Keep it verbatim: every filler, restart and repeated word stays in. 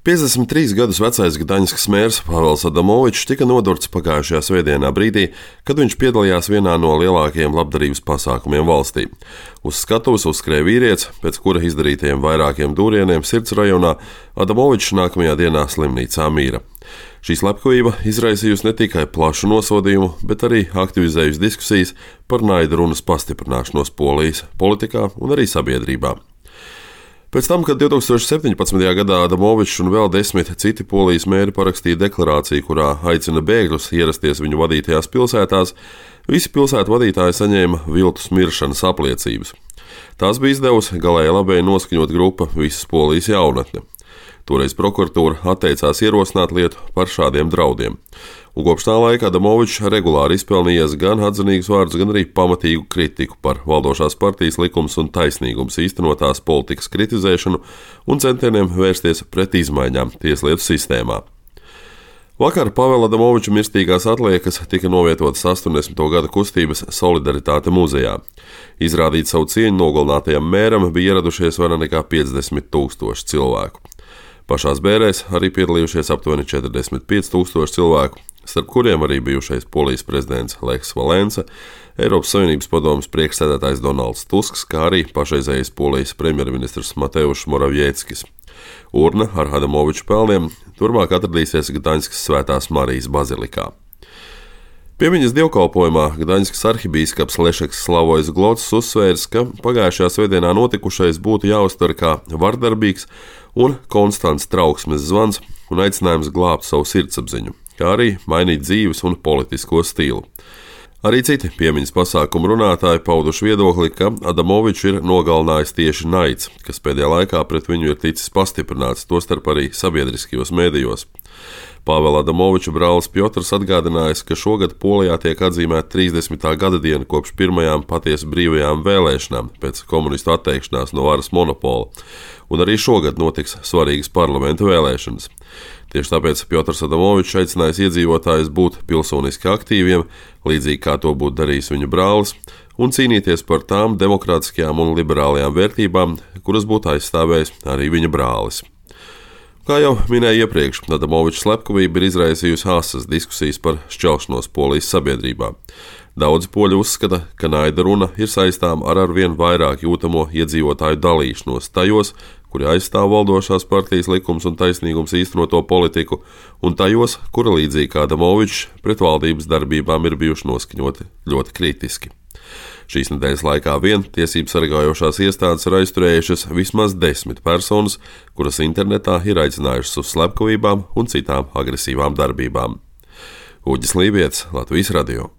piecdesmit trīs gadus vecais Gdaņskas mērs Pavels Adamovičs tika nodurts pagājušajā svētdienā brīdī, kad viņš piedalījās vienā no lielākajiem labdarības pasākumiem valstī. Uz skatuves uzskrēja vīrietis, pēc kura izdarītajiem vairākiem dūrieniem sirds rajonā Adamovičs nākamajā dienā slimnīcā mīra. Šī slepkavība izraisījusi ne tikai plašu nosodījumu, bet arī aktivizējusi diskusijas par naida runas pastiprināšanos Polijas politikā un arī sabiedrībā. Pēc tam, kad divtūkstoš septiņpadsmitajā gadā Adamovičs un vēl desmit citi Polijas mēri parakstīja deklarāciju, kurā aicina bēgļus ierasties viņu vadītajās pilsētās, visi pilsētu vadītāji saņēma viltus miršanas apliecības. Tās bija izdevusi galēji labēji noskaņot grupa Visas Polijas jaunatne. Toreiz prokuratūra atteicās ierosināt lietu par šādiem draudiem. Un kopš tā laika Adamovičs regulāri izpelnījies gan atzinīgus vārdus, gan arī pamatīgu kritiku par valdošās partijas likums un taisnīgums īstenotās politikas kritizēšanu un centieniem vērsties pret izmaiņām tieslietu sistēmā. Vakar Pavela Adamoviča mirstīgās atliekas tika novietotas astoņdesmito gadu kustības Solidaritāte muzejā. Izrādīt savu cieņu nogalinātajam mēram bija ieradušies vairāk nekā piecdesmit tūkstoši cilvēku. Pašās bērēs arī piedalījušies aptuveni četrdesmit pieci tūkstoši cilvēku, starp kuriem arī bijušais Polijas prezidents Lechs Valensa, Eiropas Savienības padomes priekšsēdētājs Donalds Tusks, kā arī pašreizējais Polijas premjerministrs Mateušs Moravieckis. Urna ar Adamoviča pelniem turmāk atradīsies Gdaņskas Svētās Marijas bazilikā. Piemiņas dievkalpojumā Gdaņskas arhibīskaps Lešeks Slavojs Glods uzsvērs, ka pagājušajā svētdienā notikušais būtu jāuztver kā vardarbīgs un konstants trauksmes zvans un aicinājums glābt savu sirdsapziņu, kā arī mainīt dzīves un politisko stilu. Arī citi piemiņas pasākumu runātāji pauduši viedokli, ka Adamoviču ir nogalinājis tieši naids, kas pēdējā laikā pret viņu ir ticis pastiprināts, tostarp arī sabiedriskajos mēdījos. Pāvela Adamoviča brālis Pjotrs atgādinājis, ka šogad Polijā tiek atzīmēta trīsdesmitā gada diena kopš pirmajām patiesi brīvajām vēlēšanām pēc komunistu atteikšanās no varas monopola, un arī šogad notiks svarīgas parlamenta vēlēšanas. Tieši tāpēc Pjotrs Adamovičs aicinājis iedzīvotājus būt pilsoniski aktīviem, līdzīgi kā to būtu darījis viņa brālis, un cīnīties par tām demokrātiskajām un liberālajām vērtībām, kuras būtu aizstāvējis arī viņa brālis. Kā jau minēju iepriekš, Adamoviča slepkavība ir izraisījusi asas diskusijas par šķelšanos Polijas sabiedrībā. Daudzi poļi uzskata, ka naida runa ir saistām ar arvien vairāk jūtamo iedzīvotāju dalīšanos tajos, kuri aizstāv valdošās partijas likums un taisnīgums īstenoto politiku, un tajos, kura līdzīgi kā Adamovičs pret valdības darbībām ir bijuši noskaņoti ļoti kritiski. Šīs nedēļas laikā vien tiesību sargājošās iestādes ir aizturējušas vismaz desmit personas, kuras internetā ir aicinājušas uz slepkavībām un citām agresīvām darbībām. Uģis Lībietis, Latvijas radio.